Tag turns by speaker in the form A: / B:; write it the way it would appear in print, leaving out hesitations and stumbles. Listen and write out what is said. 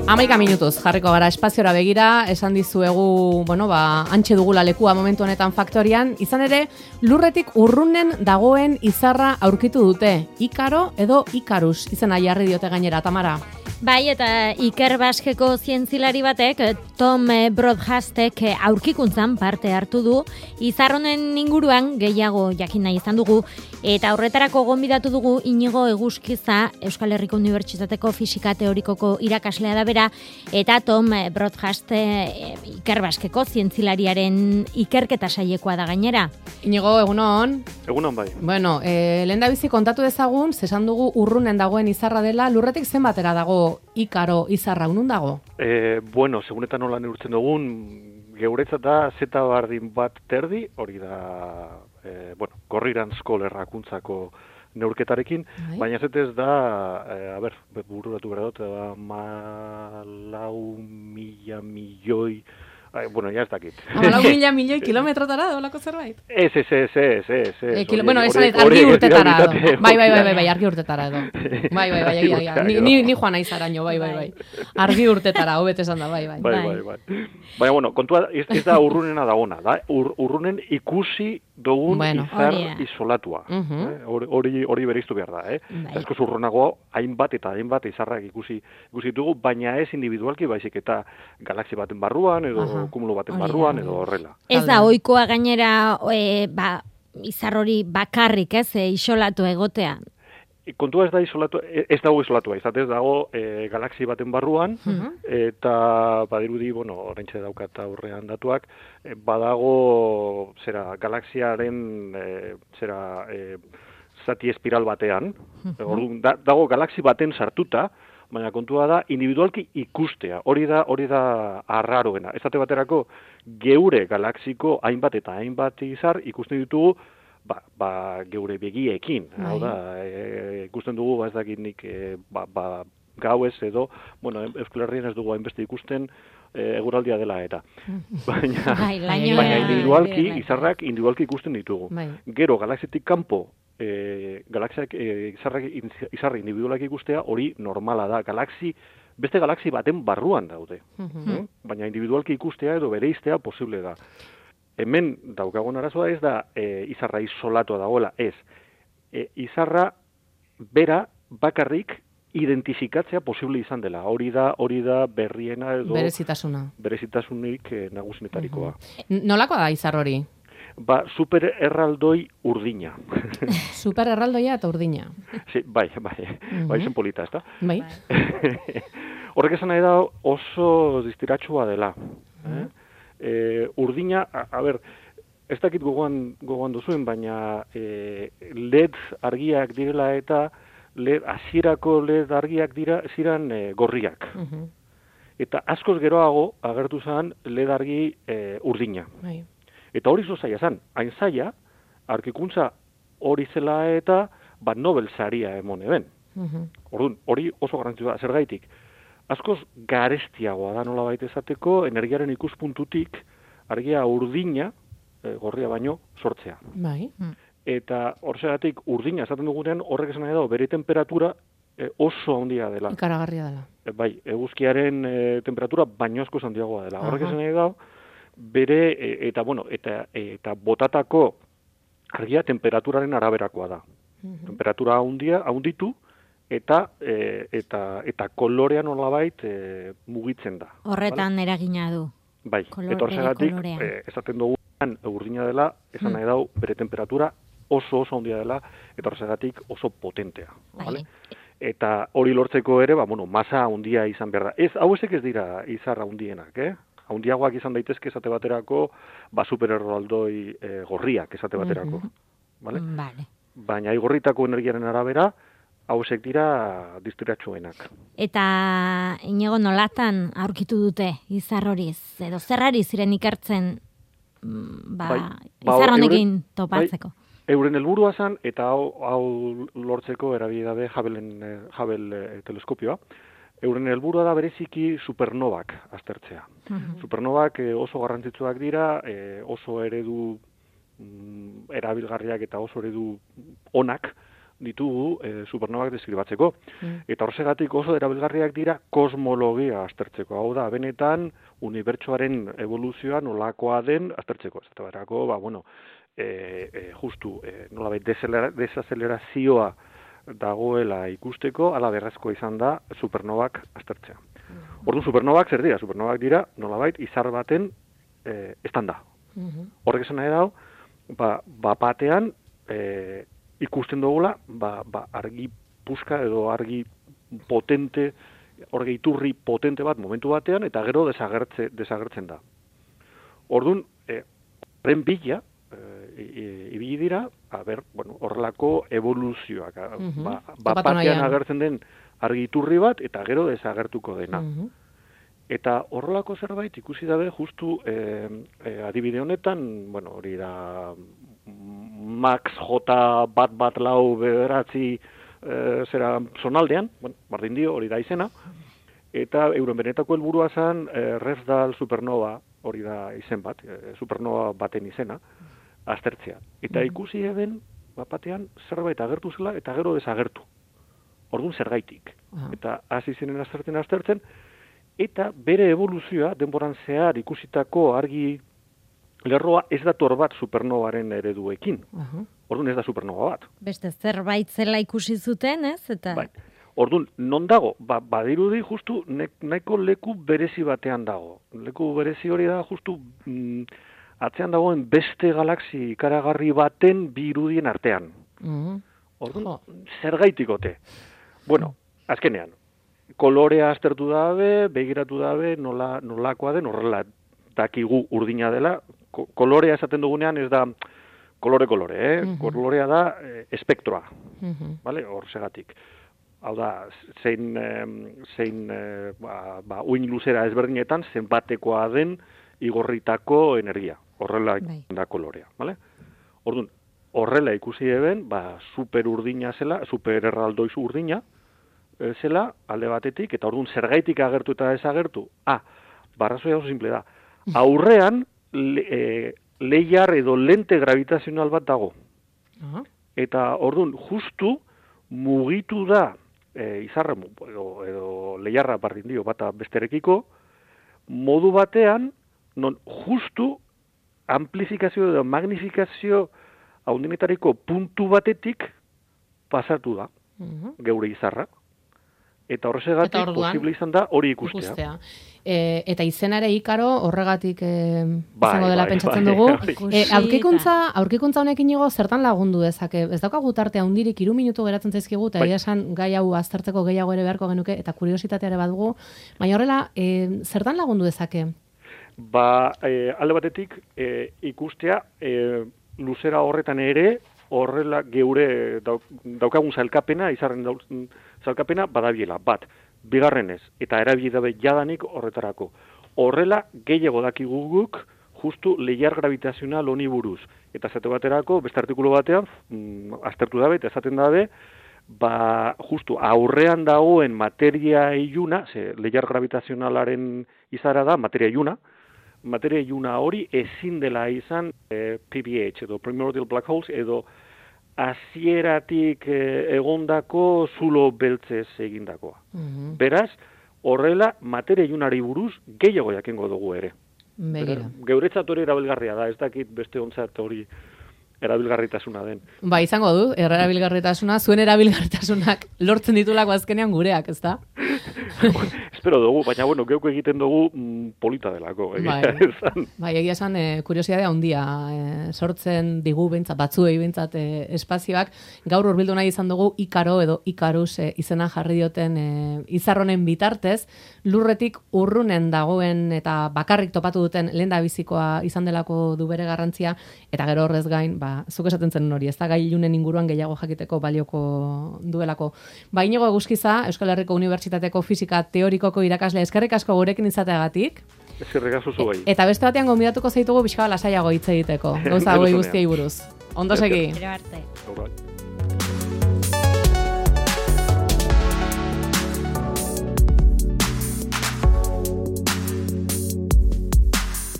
A: 11 minutuz jarriko gara espaziora begira, esan dizuegu, antxe dugula lekua momentu honetan faktorian, izan ere, lurretik urrunen dagoen izarra aurkitu dute, Ikaro edo Ikarus, izena jarri diote gainera, Tamara.
B: Bai, eta Iker Baskeko zientzilari batek, Tom Broadhastek aurkikuntzan parte hartu du, izarronen inguruan gehiago jakin nahi izan dugu, eta horretarako gonbidatu dugu Inigo Eguzkiza, Euskal Herriko Unibertsitateko Fisika Teorikoko irakaslea da bera, eta Tom Broadhast Iker Baskeko zientzilariaren ikerketa sailekoa da gainera.
A: Inigo, egunon?
C: Egunon bai.
A: Bueno, lehendabizi kontatu dezagun, zesan dugu urrunen dagoen izarra dela, lurretik zenbatera dago Ikaro izarra, unun dago?
C: Segunetan nola neurtzen dugun, geuretzat da zeta bardin bat terdi, hori da, Gorriranzko lerrakuntzako neurketarekin, baina zetez da, bururatu behar dut, 4.000 milioi, ja ez dakit.
A: 4.000 milioi kilometrotara dolako zerbait?
C: Ez.
A: Esan argi urtetara edo. Bai, argi urtetara edo. Bai, ni joan naiz araño, bai. Argi urtetara, hobet esan da, bai.
C: Baina, kontua ez da urrunena dagona, da urrunen ikusi dugun izar isolatua. Hori bereiztu behar da, Askoz urrunago hainbat izarrak ikusi dugu, baina ez individualki baizik eta galaxia baten barruan edo kumulo baten barruan edo horrela.
B: Ez da ohikoa gainera izar hori bakarrik, isolatu egotea.
C: Kontua ez dago isolatua, izatez dago galaxia baten barruan, eta badirudi, oraintxe daukat aurrean datuak, badago galaxiaren zati espiral batean, dago galaxia baten sartuta, baina kontua da individualki ikustea, hori da arraroena. Esate baterako geure galaxiko hainbat eta hainbat izar ikusten ditugu geure begiekin. Hau da, ikusten dugu, ez dakit nik gauez edo, Euskal Herrian ez dugu hainbeste ikusten eguraldia dela eta. Baina individualki, izarrak individualki ikusten ditugu. Gero, galaxiatik kanpo, izarrak individualak ikustea hori normala da. Beste galaxi baten barruan daude. Baina individualki ikustea edo bereiztea posible da. Hemen daukagun arazoa ez da izarra isolatua dagoela, ez. Izarra bera bakarrik identifikatzea posible izan dela. Hori da berriena edo berezitasunik nagusinetarikoa.
A: Nolakoa da izar hori?
C: Supererraldoi urdina.
A: Supererraldoia eta urdina.
C: Bai, zen polita, ez da?
A: Bai.
C: Horrek esan nahi da oso distiratsua dela. Urdina, ez dakit gogoan duzuen, baina LED argiak direla eta hasierako LED argiak ziren gorriak. Eta askoz geroago agertu zen LED argi urdina. Eta hori zaila zen, hain zaila, aurkikuntza hori zela eta Nobel saria emon eben. Orduan, hori oso garrantzitsua da, zergaitik. Askoz garestiagoa da nola baita esateko, energiaren ikuspuntutik argia urdina, gorria baino, sortzea.
A: Bai.
C: Eta horregatik urdina esaten dugunean horrek esan nahi dago, bere temperatura oso handia dela.
A: Ikaragarria dela.
C: Bai, eguzkiaren temperatura baino askoz handiagoa dela. Horrek esan nahi dago, bere, eta botatako argia temperaturaren araberakoa da. Temperatura handitu, eta kolorea nolabait mugitzen da.
B: Horretan eragina du.
C: Bai, eta horregatik esaten dugunean urdina dela, esan nahi dau bere temperatura oso handia dela, eta horregatik oso potentea. Vale? Eta hori lortzeko ere, masa handia izan behar da. Hau ez dira izar handienak, Handiagoak izan daitezke esate baterako, supererraldoi gorriak esate baterako. Vale? Baina igorritako energiaren arabera, hausek dira distiratsuenak.
B: Eta Inigo nolatan aurkitu dute izar horiz? Edo zerrari ziren ikertzen izar honekin topatzeko?
C: Euren helburua zen, eta hau lortzeko erabili dabe Hubble teleskopioa, euren helburua da bereziki supernovak aztertzea. Supernovak oso garrantzitsuak dira, oso eredu erabilgarriak eta oso eredu onak ditugu supernobak deskribatzeko. Eta horregatik oso erabilgarriak dira kosmologia aztertzeko. Hau da, benetan, unibertsoaren evoluzioa nolakoa den aztertzeko. Ez da berako, justu nolabait desazelerazioa dagoela ikusteko, ala berrezkoa izan da supernobak aztertzea. Orduan, supernobak zer dira? Supernobak dira nolabait izar baten estanda. Horrek esan nahi dago, batean ikusten dugula, argi puska edo argi potente, argi iturri potente bat momentu batean, eta gero desagertzen da. Orduan, horren bila, ibili dira, horrelako evoluzioak. Batean agertzen den argi iturri bat, eta gero desagertuko dena. Eta horrelako zerbait ikusi dabe justu adibide honetan, hori da Max J bat lau bederatzi zera zonaldean, bardin dio, hori da izena, eta euren benetako helburua zen Refdal supernova, hori da izen bat, supernova baten izena, aztertzea. Eta ikusi eben, batean zerbait agertu zela, eta gero desagertu. Orduan zergaitik. Eta hasi zinen aztertzen, eta bere evoluzioa, denboran zehar ikusitako argi lerroa ez dator bat supernovaren ereduekin. Orduan ez da supernova bat.
B: Beste zerbait zela ikusi zuten, ez? Eta...
C: Bai. Orduan, non dago? Badirudi justu nahiko leku berezi batean dago. Leku berezi hori da justu atzean dagoen beste galaxi ikaragarri baten bi irudien artean. Orduan, zergaitikote. Bueno, azkenean, kolorea aztertu dabe, begiratu dabe, nolakoa den, horrela dakigu urdina dela. Kolorea esaten dugunean ez da kolore, kolorea da espektroa, hor segatik. Hau da, zein uin luzera ezberdinetan, zenbatekoa den igorritako energia. Horrela da kolorea, Orduan, horrela ikusi eben, super urdina zela, super erraldoiz urdina zela, alde batetik, eta orduan zergaitik agertu eta desagertu. Barrazoia oso simple da. Aurrean, leiar edo lente gravitazional bat dago. Eta orduan, justu mugitu da izarra edo leiarra bardin dio bata besterekiko, modu batean, non justu amplifikazio edo magnifikazio haundinetariko puntu batetik pasatu da, geure izarra. Eta horregatik posible izan da hori ikustea.
A: Eta izena ere Ikaro horregatik izango dela pentsatzen dugu. Aurkikuntza honekin igo zertan lagundu dezake? Ez daukagu tartea hundirik 3 minutu geratzen zaizkigu, eta esan gai hau aztertzeko gehiago ere beharko genuke, eta kuriositatea ere badugu. Baina horrela, zertan lagundu dezake?
C: Alde batetik ikustea luzera horretan ere, horrela geure daukagun zailkapena, izarren zailkapena badabiela, bat. Bigarrenez, eta erabili dabe jadanik horretarako. Horrela gehiago dakigu guk justu leiar gravitazional honi buruz. Eta zate baterako, beste artikulu batean, aztertu dabe, eta esaten dabe, justu aurrean dagoen materia iluna, leiar gravitazionalaren izara da, materia iluna hori ezin dela izan PBH, edo Primordial Black Holes, edo hasieratik egondako zulo beltzez egindakoa. Beraz, horrela materia ilunari buruz gehiago jakingo dugu ere. Geuretzat hori erabilgarria da, ez dakit beste ontzat hori erabilgarritasuna den.
A: Izango du, erabilgarritasuna, zuen erabilgarritasunak lortzen ditulako azkenean gureak, ez da?
C: Espero dugu, baina geuko egiten dugu polita delako.
A: Egia esan, kuriosidadea handia sortzen digu batzuei behintzat espazioak. Gaur hurbildu nahi izan dugu Ikaro edo Ikarus izena jarri dioten izarronen bitartez, lurretik urrunen dagoen eta bakarrik topatu duten lehendabizikoa izan delako du bere garrantzia, eta gero horrez gain, zuk esaten zen hori, ez da gai ilunen inguruan gehiago jakiteko balioko duelako. Inigo Eguzkiza, Euskal Herriko Unibertsitateko Fisika Teorikoko irakasle, eskerrik asko gurekin izateagatik.
C: Eskerrik asko zuei.
A: Eta beste batean gonbidatuko zaitugu pixka lasaiago hitz egiteko. Gauza hauei guztiei buruz. Ondo segi.
B: Gero arte.